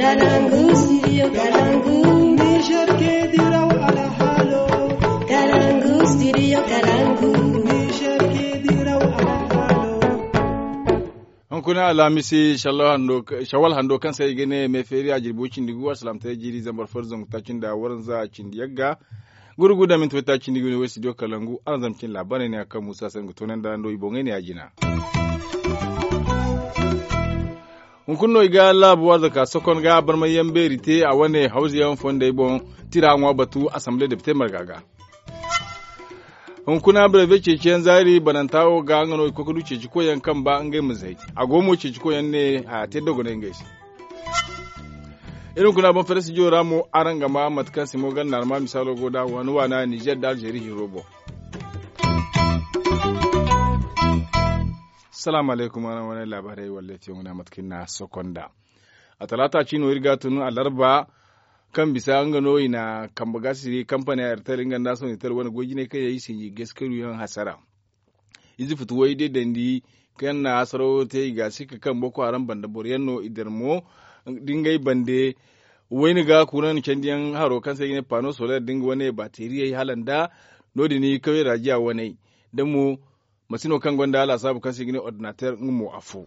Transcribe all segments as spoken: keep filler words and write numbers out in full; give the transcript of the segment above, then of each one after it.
Kalangu, studio Kalangu. Niger ke diraw alhalo. Kalangu, studio Kalangu. Niger ke diraw alhalo. Hunkuna alhamisi shawal hando kaŋ se i ga ne me feeri a jirbi cindi gu alsalamtay jiiri zambar far zangu taaci nda waranza cindi yagga. Gurgu da minti way taaci nda i ga ne way studio Kalangu aranzam cin laabaarey ne a kaŋ musa se nga toonandi a no i boŋey ne ya jina. Hunkuna no i ga laabu arzaka sokon ga barmayyaŋ beeri te a wane hawzayaŋ fondey boŋ. Tira ŋwa batu asamble depite marga ga. Hunkuna birebe ceeciyaŋ zaari bananta wo ga nga no i koy ga du ceeci koyyaŋ kaŋ ba ngey ma zay. A go mo ceeci koyyaŋ ne haya te dogonay ngey se. Iri hunkuna boŋ fere studio ra mo araŋ ga ma mate kaŋ simo ganda arma misaalo go da waani waana nizer da alzeeri hiro boŋ. Salaamu alaykum araŋ wane laabaarey walletiyaŋo na mate kaŋ iri na sokonda. A talaata ciino iri ga tun alarba kaŋ bisa nga no i na kambe ga siri kampani airtel nga nda sonitel wane goy jinay kaŋ yaŋ i sinji gaskaru yaŋ hasara. Ize futu way day dandi kaŋ na hasaro te i ga si ka kaŋ boko haram banda boro yaŋ no i dira mo da ngey bande. Wayne ga kuran candiyaŋ haro kaŋ se i ga ne pano soler da nga wane bateriyey hala nda no- din i kaway rajiya waney da mo masino kaŋ gonda laasaabu kaŋ se i ga ne ordinater nga mo afo.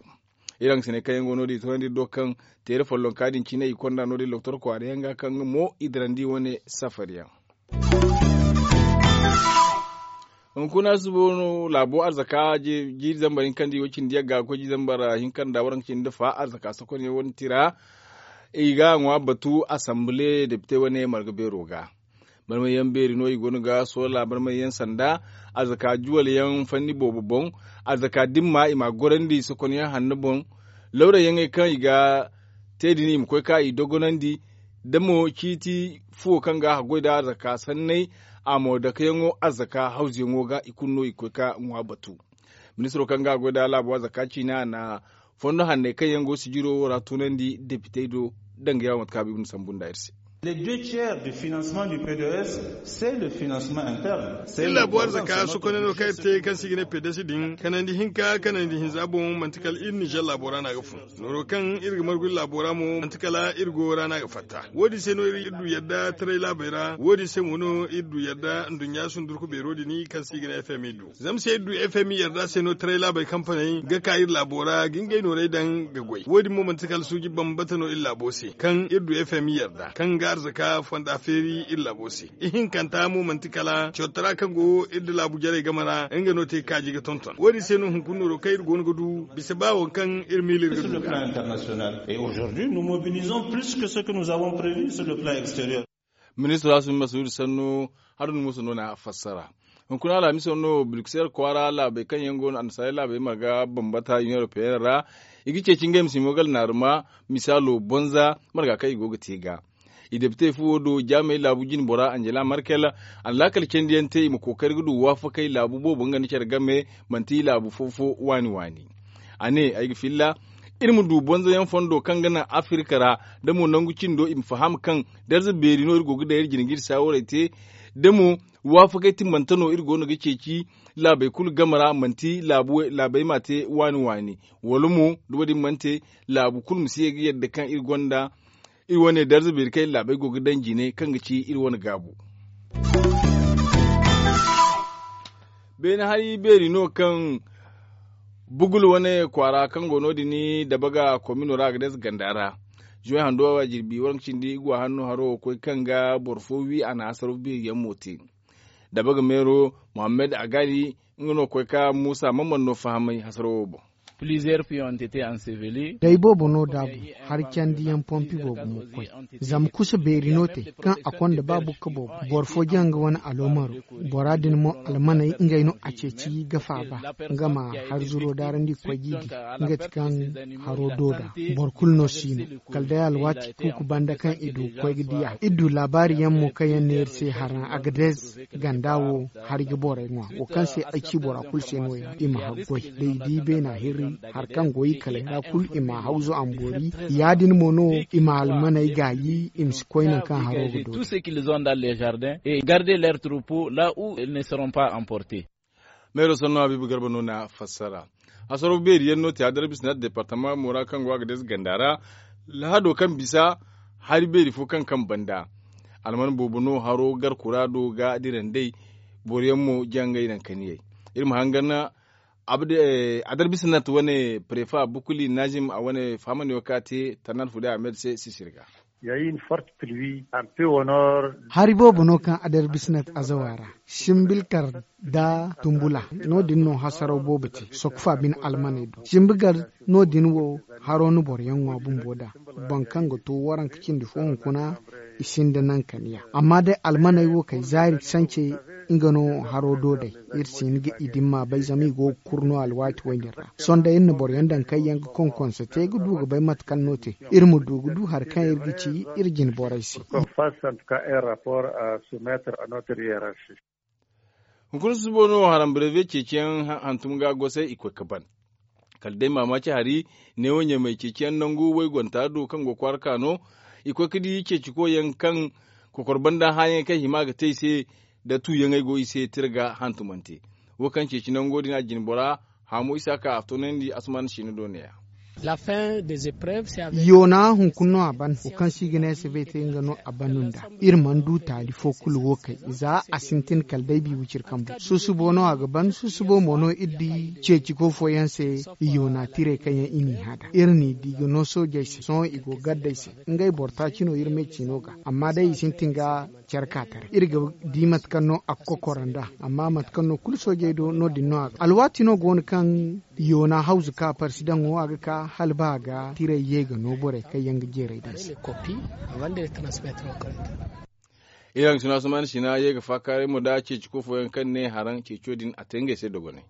Iri haŋ ga si ne kaŋ yaŋ go no- din i toonandi iri do kaŋ teere follonka din cine i konda no- din loktor kwaara yaŋ ga kaŋ nga mo i dirandi wane safari yaŋ. Hunkuna suba no laabo arzaka jiiri zambar hinka nda i wo cindi yagga ga koy jiiri zambar hinka nda waranka cindi nda fa arzaka sokonyaŋ wane tira. I ga a ŋwa batu asamble depite wane marga beero ga. Barmayyaŋ beeri no i go no ga soola barmayyaŋ sanda arzaka juwal yaŋ fanni boobo boŋ. Arzaka dimma i ma a gorandi sokonyaŋ hanno boŋ. Lawrayaŋey kaŋ i ga te din i ma koy ka i dogonandi da mo ciiti fuwo kaŋ ga a goy nda arzaka sanney a mo dakeyaŋo arzaka hawzuyaŋo ga i kulu no i ga koy ka ŋwa batu. Ministiro kaŋ ga a goy nda laabo arzaka ciina a na fondo hanney kaŋ yaŋ go sijiro wo ra tunandi depitey do. Danga yaŋo mate kaŋ a ba i ma sambu nda iri se. Les deux tiers du financement du pds c'est le financement interne. Iri laabo arzaka sokoney no kaŋ iri te kaŋ se i ga ne pds din kanandi hinka kanandi hinza boŋ manti kala iri nizer laabo ra no a ga fun. Nooro kaŋ iri ga margu iri laabo ra mo manti kala iri goyo ra no a ga fatta. Wo- din se no iri du yadda taray laabey ra wo- din se mo no iri du yadda nduɲɲa sundurku beero din kaŋ se i ga ne fmi du. Zama se iri du fmi yarda se no taray laabey kampaney ga ka iri laabo ra ga ngey noorey daŋ ga goy wo- din mo manti kala suuji bambata no iri laabo se kaŋ iri du fmi yarda kaŋ ga arzaka fonda feeri iri laabo se. Ihinkanta mo manti kala cawtara kaŋ go iri nda laabu jarey game ra nga no te kaaji ga tonton wo- din se no hunkuna nooro kaŋ iri go no ga du bisa ba waŋ kaŋ iri miila iri ga du ga. Et aujourd'hui nous mobilisons plus que ce que nous avons prévu sur le plan extérieur. Ministro asumi masuudu sannu haruna musa no na a fassara. Hunkuna alhamiso no bruxelles kwaara laabey kaŋ yaŋ go no annasaarey laabey marga bambata union européenne ra. I ga ceeci ngey ma si mo gala naaruma misaalo bonza marga kaŋ i go ga te ga. I depite fuwo do jaamey laabu jine bora angela merkel. Alaakal candiyaŋ te i ma kookari ga du waafakey laabu boobo nga nda care game manti laabu fo-fo waani waani. A ne ay ga filla iri ma du bonzoyaŋ fondo kaŋ ga naŋ afirka ra da mo nangu cindo i ma faham kaŋ darza beeri no iri go ga daŋ iri jine ga iri saawarey te da mo waafakey timbante no iri go no ga ceeci laabey kulu game ra manti laabey ma te waani waani wala mo da wo- din mana te laabu kulu ma si ye ga yadda kaŋ iri gonda iri wane darza beeri kaŋ iri laabey go ga daŋ jine kaŋ ga ci iri wane gaabu. Beene hari beeri no kaŋ bugul wane kwaara kaŋ go no- din dabaga komino ra a ga dayze ganda ra. Zuway hando a jirbi waranka cindi igwa hanno haro koy kaŋ ga boro fo wi a na hasaro beeri yaŋ mo te. Dabaga meero muhammad agali nga no koy ka muusa mamman no fahamay hasaro wo boŋ. Plusieurs puis ont été ensevelis. Day boobo no daabu hari candiyaŋ pompi boobo mo koy. Zama kusa beeri no te kaŋ a konda ba bukka boobo boro fo jaŋ nga wane aloomaro. Bora din mo almaney ngey no a ceeci ga faaba nga ma hari zuro daarandi koy g'i di. Nga ti kaŋ haro do da boro kulu no si no kala day alwaati kuuku banda kaŋ i du koy ga diya iri du laabaari yaŋ mo kaŋ yaŋ neeri se haraŋ agadez ganda wo hari ga borey ŋwa wo kaŋ se ay ci bora kulu se no- ya i ma haggoy da i di beena hirri hari kaŋ go i kaley ra kulu i ma hawzu a ma boori. Ya- din mo no i ma almaney gaayi i ma si koy nangu kaŋ haro ga do. Tout ce qu'ils ont dans les jardins et garder leur troupeau là où ils ne seront pas emportés. Meero sanno habiibu garba no na fassara. Hasaro beeri yaŋ no te a darbisina departama mo ra kaŋ go a ga deesi ganda ra lahado kaŋ bisa Hari beeri fo kaŋ kaŋ banda alman boobo no haro gar kuraado ga dira nd'ey. Boro yaŋ mo jangay naŋ kaniyey. Iri ma hangan adarbisnat wane prefa bukuli nazim a wane fahamandi wo kaŋ a te tarnan fude ahmed se sisir ga. Hari boobo no kaŋ adarbisnat azawa ra simbilkar da tumbula. No- din no hasaraw boobo te sokfa bine almaney do simbigar. No- din wo haro na boro yaŋ ŋwa bumbo da boŋ kaŋ ga to waranka cindi fo hunkuna. I sinda naŋ kaniya amma day almaney wo kay zaari sance. Nga no haro do day iri si hin ga i dimma bay zama i go ga kuru no alwaati wo- din ra. Sohõ day iri na boro yaŋ daŋ kaŋ yaŋ ga konkonse te ga du ga bay mate kaŋ no te. Iri ma du ga du hari kaŋ iri ga ci iri jine borey se. Hunkuna susubo no haram brevet ceeciyaŋ hantum ga gosay i koy ga ban. Kala day maamaaci hari neewo ɲamay ceeciyaŋ nangu waygonta do kaŋ go kwaara ka no. I koy ga di ceecikoyaŋ kaŋ kokor banda hããyaŋey kaŋ hima ga te i se nda tuuyaŋey go i se tira ga hantumante. Wo kaŋ ceeci nango din a jine bora haamo isa ka a toonandi asuman siina do ne- ya. Yoona hunkuna no a ban wo kaŋ se i ga ne se bay te nga no a ban nda iri mana du taali fo kulu wo kay. Za a sintin kala day bi wiciri kambu susubo no a ga ban susubo mo no iri di ceeciko fooyaŋ se. Yoona tirey kaŋ yaŋ i n'i hã da iri n'i di ga no soojey se sohõ i go ga gardey se. Ngey boro taaci no iri me ciino ga amma day i sintin ga care ka taray iri ga di mate kaŋ no a ga kokora nd'a. Amma mate kaŋ no kulu soojey do no- din no a ga alwaati no go no kaŋ yoona hawzu ka parsidaŋo a ga ka hala ba a ga tirey ye ga no borey kaŋ yaŋ ga jeeray din se. Iri haŋ sina sumaani sina ye ga faakaaray mo da ceeci ko fooyaŋ kaŋ ne haraŋ ceeco din a te ngey se dogonay.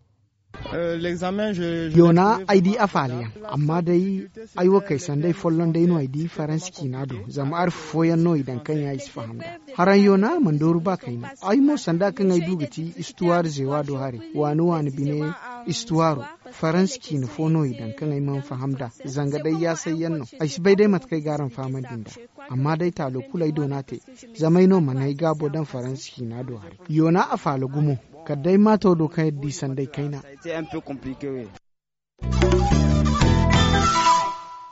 Yoona ay di a faala yaŋ amma day ay wo kay sanday folloŋ day no ay di faransi ciina do zama arfi fooyaŋ no i daŋ kaŋ yaŋ ay si faham nd'a. Haraŋ yoona mana dooru ba kayna ay mo sanda kaŋ ay du ga ti istuwaari zeewa do haray waani waani bine. Istuwaaro faransi ciina fo no i daŋ kaŋ ay mana faham nd'a. Zanga day yaasayyaŋ no ay si bay day mate kaŋ ay ga araŋ fahamandi nd'a. Amma day taalo kulu ay doona te zama ay no mana ay gaabo daŋ faransi ciina do haray. Yoona a faala gumo kala day maato do kaŋ iri di sanday kayna.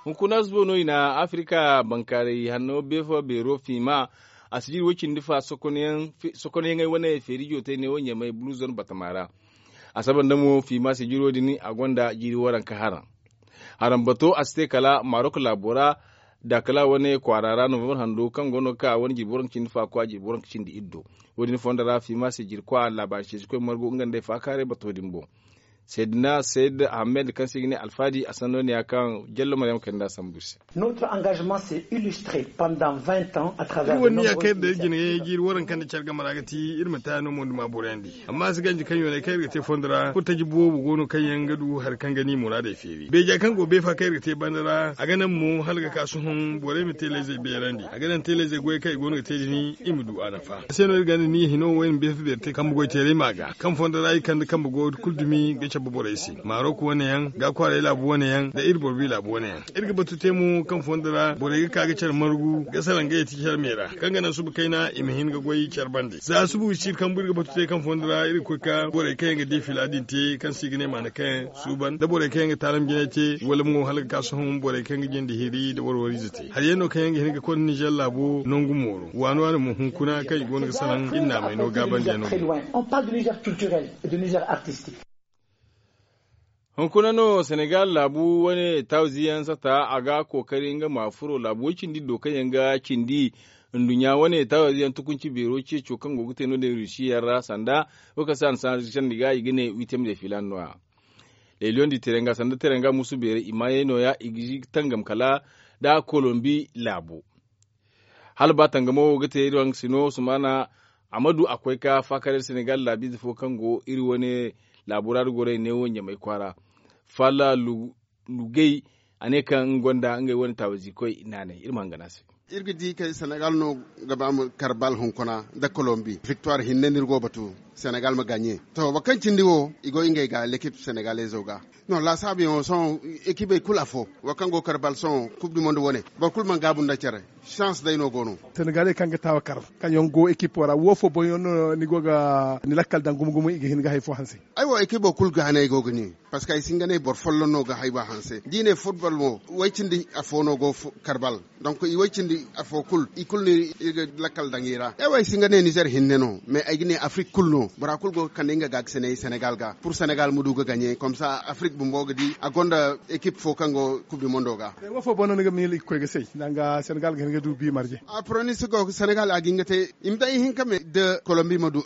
Hunkuna zubo no i na afirika bankaaray hanno beefo beero fiima. A si jiri wo cindi fa sokonayaŋey wane feeri jootay ne wo ɲamay bulu zone batama ra. A saba nda mo fiima si jiro din a gonda jiiri waranka haraŋ. Haraŋ bato a si te kala marok laabo ra. Da kala wane kwaara ra novembre hando kaŋ go no ga ka wane jirbi waranka cindi fa kwa jirbi waranka cindi iddo. Wo- din fondo ra fiima si jiri kwa laabaari ceeci koy margu nga nd'ey faakaaray bato din boŋ. Seydina seyid ahmed kaŋ se i ga ne alfaadi a sanno ne ya kaŋ jallo maryam kay nda sambu iri se. Iri wane ni ya kaŋ iri da iri jine jiiri waranka nda care game ra ga ti iri ma taya no mo nda ma boroyandi. Amma a si ganji kaŋ yoonay kaŋ iri ga te fondo ra furtaji boobo go no kaŋ yaŋ ga du hari kaŋ ga ni muraadey feeri beeja kaŋ go beefa kaŋ iri ga te banda ra a ga naŋ mo hala ga ka sohõ borey ma teeleyzey beerandi a ga naŋ teeleyzey goyey kaŋ i go no ga te din. I ma du a nafa a se no iri ga ni hino wayna beefa beeri te kambe goy teeray ma ga kaŋ fondo ra i kande kambe go kulu dumi ga cabe borey se marok wane yaŋ ga kwaaray laabu wane yaŋ nda iri boro bi laabu wane yaŋ. Iri ga batu te mo kaŋ fondo ra borey ga ka ga care margu ga salaŋ ga yeti care me ra kaŋ ga naŋ suba kayna i ma hin ga goy care bande za suba wi si iri kambu iri ga batu te kaŋ fondo ra iri ga koy ka borey kaŋ yaŋ ga de fila din te kaŋ se i ga ne maana kaŋ yaŋ suuban nda borey kaŋ yaŋ ga taalam jinay te wala mo hala ga ka sohõ borey kaŋ ga jinde hiri nda warwariize te hari yaŋ no kaŋ yaŋ ga hin ga konda nizer laabo nangu mooro waani waani mo hunkuna kaŋ i go no ga salaŋ iri naamay no gaabandi yaŋ no. Hunkuna no senegal laabu wane taawizi yaŋ sata a ga kookari nga ma furo laabu way cindi do kaŋ yaŋ ga cindi nduɲɲa wane taawizi yaŋ tukunci beero ceeco kaŋ go ga te no- din rusi yaŋ ra sanda wo kaŋ se a na sandi ga i ga ne wiitem de filan no- ya. Leeliyoŋ di teranga sanda teranga musu beeray i maayey no- ya i ga tangam kala nda kolombi laabo. Hala ba tangamo wo ga te iri waŋ sino sumana a ma du a koy ka faakar iri senegal laabiize fo kaŋ go iri wane laabu ra da goray neewo ɲamay kwaara. Faala lugay a ne kaŋ nga gonda ngey wane taawizi koy naanay iri ma hangan a se. Iri ga di kay senegal no ga ba ma karbal hunkuna nda kolombi victoire hinne no iri go ga batu senegal ma gaɲe. To boro kaŋ cindi wo i go ngey ga lekip senegalezo ga. No laasaabu yaŋo sohõ ekipey kulu afo wo kaŋ go ga karbal sohõ kub du monde wane boro kulu mana gaabu nda care. Chance day no go no. Senegaley kaŋ ga taawa kar kaŋ yaŋ go ekipo ra wo fo boŋ yaŋ no ni go ga ni lakkal daŋ gumo gumo i ga hin ga hari fo hanse. Ay wo ekipo kulu ga hanay go ga ni. Parceque ay si hin ga ne boro folloŋ no ga hayba hanse da i ne futbol mo way cindi afo no go karbal. Donk i way cindi afo kulu i kulu no iri ga lakkal daŋ i ra ay way si hin ga ne nizer hinne no mais ay ga ne afrik kulu no bora kulu go ga kande nga ga ga sene senegal ga pur senegal ma du ga gaɲe komsa afrik bumbo ga di a gonda ekip fo kaŋ go kub di mondo ga. Wo fo boŋ no ni ga miila i ga koy ga say danga senegal ga hin ga du bi marje. A pronis go senegal a ga hin ga te i ma day ihinka me da kolombi ma du.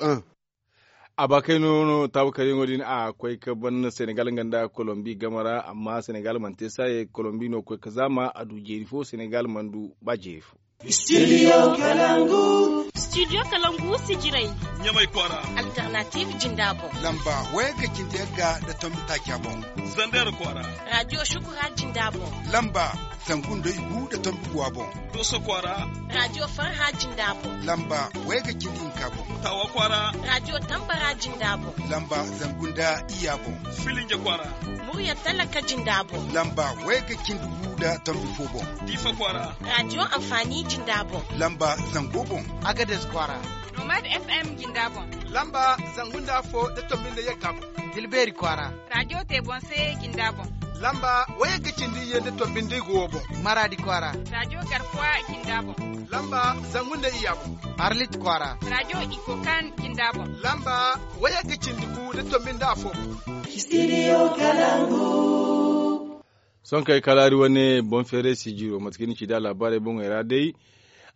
A ba kay no no taabu kar yaŋo din a koy ga ban senegal nga nda kolombi game ra amma senegal mana te saaye kolombi no ga koy ga zaama a du jeeri fo senegal mana du ba jeeri fo. Studio kalangu. Studio kalangu sijiray. Ɲamay kwaara. Alternative jinda boŋ. Lamba waya ga cindi yagga nda tombi taaca boŋ. Zander kwaara. Radio shukura jinda boŋ. Lamba zangu nda igu nda tombi guwa boŋ. Dooso kwaara. Radio farha jinda boŋ. Lamba waya ga cindi hinka boŋ. Tawa kwaara. Radio tambara jinda boŋ. Lamba zangu nda iyya boŋ. Filinja kwaara. Murya talaka jinda boŋ. Lamba waya ga cindi gu nda tombi fo boŋ. Diifa kwaara. Radio amfani jinda boŋ. Lamba zango boŋ. Agades kwaara. Nomad fm jinda boŋ. Lamba zangu nda afo nda tombi nda yagga boŋ. Tilbeeri kwaara. Radio te boŋ se jinda boŋ. Lamba waya ga cindi iyye nda tombi nda igu wo boŋ. Maraadi kwaara. Radio garkuwa jinda boŋ. Lamba zangu nda iyya boŋ. Arlit kwaara. Radio ikokan jinda boŋ. Lamba waya ga cindi gu nda tombi nda afo boŋ. Studio kalangu. Sohõ kay kalaari wane boŋ feeray sijiro mate kaŋ ni ci da laabaarey boŋey ra day.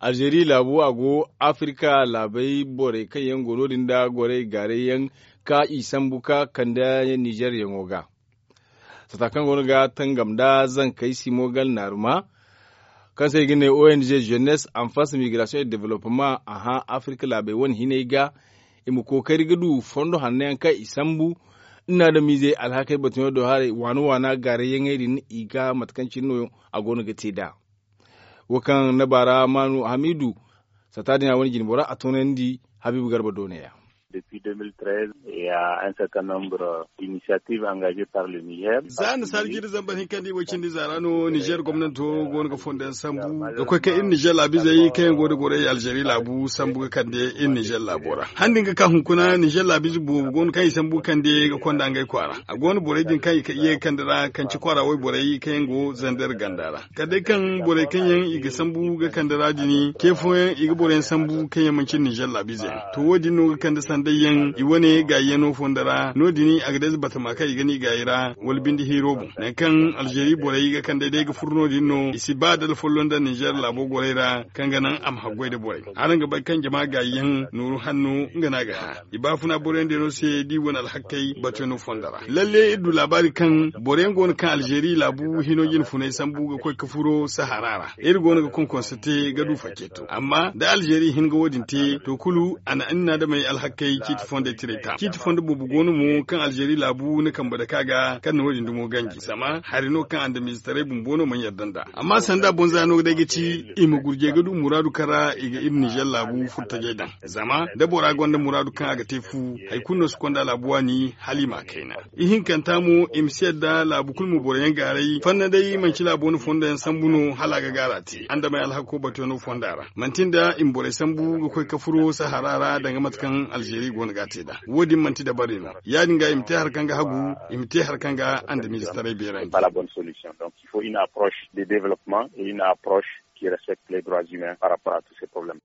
Alzeeri laabo a go afirka laabey borey kaŋ yaŋ go no- din nda gorey gaaray yaŋ ka i sambu ka kande nizer yaŋo ga. Sata kaŋ go no ga tangam nda zankey simo gal naaruma kaŋ se i ga ne ong jeunesse enfance migration et developpement a hã afirka laabey wane hinay ga. I ma kookari ga du fondo hanno yaŋ kaŋ i sambu. Nda adamiizey alhakey batuyaŋo do haray waana waana gaaray yaŋey din i ga mate kaŋ cine no a go no ga te nd'a. Wo kaŋ na baara maanu hamiidu sata din a wane jine bora a toonandi habiibu garba doone ya. Depuis deux mille treize, il y a un certain nombre d'initiatives engagées par le niger. Za nasaara jiiri zambar hinka nda i way cindi za ra no nizer gomnanto go no ga fondo yaŋ sambu ga koy kaŋ iri nizer laabiizey kaŋ yaŋ go nda gorey alzeeri laabu sambu ga kande iri nizer laabo ra. Handi nga ka hunkuna nizer laabiize boobo go no kaŋ i sambu ga kande ga konda ngey kwaara. A go no borey din kaŋ i ye ga kande ra kanci kwaara wayborey kaŋ yaŋ go zander ganda ra kala day kaŋ borey kaŋ yaŋ i ga sambu ga kande ra din ce fooyaŋ i ga boro yaŋ sambu kaŋ yaŋ manci nizer laabiize yaŋ to wo- din no ga kande sanday yaŋ i wane gaayi yaŋo fondo ra no- din a ga day ze batama kaŋ i ga ne i gaayi ra wala binde hiiro boŋ nangu kaŋ alzeeri borey ga kande day ga furo no- din no i si ba dala folloŋ nda nizer laabo gorey ra kaŋ ga naŋ a ma haggoy nda borey. Araŋ ga bay kaŋ jama gaayi yaŋ nooru hanno nga no a ga hã i baafuna boro yaŋ day no se da i wane alhakkey batuyaŋo fondo ra lalle iri du laabaari kaŋ boro yaŋ go no kaŋ alzeeri laabu hino jine funay sambu ga koy ga furo sahara ra iri go no ga konkonse te ga du fakeeto amma da alzeeri hin ga wo- din te to kulu a na iri na adamey alhakkey ciiti fondey tiray ta ciiti fondo boobo go no mo kaŋ alzeeri laabu na kambe dake a ga kaŋ na wo- din dumo ganji zama hari no kaŋ andamiizetaray bumbo no mana yadda nd'a. Amma sanda bonza no ga day ga ci i ma gurjey ga du muraadu kaŋ ra i ga iri nizer laabu furtajey daŋ zama da bora gonda muraadu kaŋ a ga te fu hari kulu no si konda laabu waani hala i ma a kayna. Ihinkanta mo i ma si yadda laabu kulu ma boro yaŋ gaaray fanna day manci laabo na fondo yaŋ sambu no hala a ga gaara te andamey alhakko batuyaŋo fonda ra manti nda i ma borey sambu ga koy ga furo sahara ra danga mate kaŋ alzeeri go no ga a te nd'a wo- din manti dabari no ya- din ga i ma te hari kaŋ ga hagu i ma te hari kaŋ ga andamiizetaray beerandi. Une approche de développement et une approche qui respecte les droits humains par rapport à tous ces problèmes.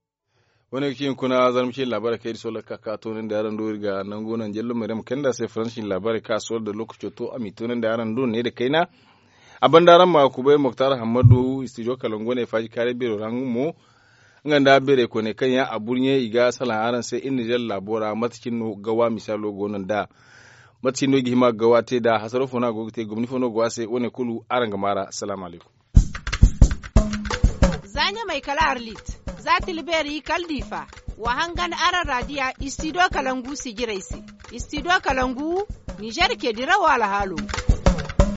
Wane ga ci hunkuna zarma ciine laabaarey kaŋ iri sohõ lakkal ka ka toonandi araŋ do iri ga nangu naŋ jello meerey ma kayandi a se faransa ciine laabaarey kaŋ a sohõ da lookaco to a m'i toonandi araŋ do ne nda kayna. A banda araŋ ma kubay moktar hammadu studio kalangu wane faaji kaaray beero ra nga mo nga nda beerey koyney kaŋ yaŋ a burɲe i ga salaŋ araŋ se iri nizer laabo ra mate cine no gawa misaalo go no nd'a? Mate cine no i ga hima ga gawa te nd'a hasaro fo no a go ga te gomni fo no go a se wane kulu araŋ ga maar'a salaamu alaykum. Za ɲamay kala arlit za tilbeeri kala diifa wa hangan araŋ raadiya istidiyo kalangu sijirey se. Istidiyo kalangu nizer ce dirawo alhaalo.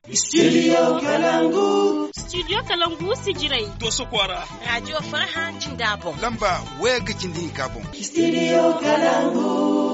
Istidiyo kalangu. Istidiyo kalangu sijirey. Dooso kwaara. Raadiyo farha jinda boŋ. Lamba waya ga cindi hinka boŋ. Istidiyo kalangu.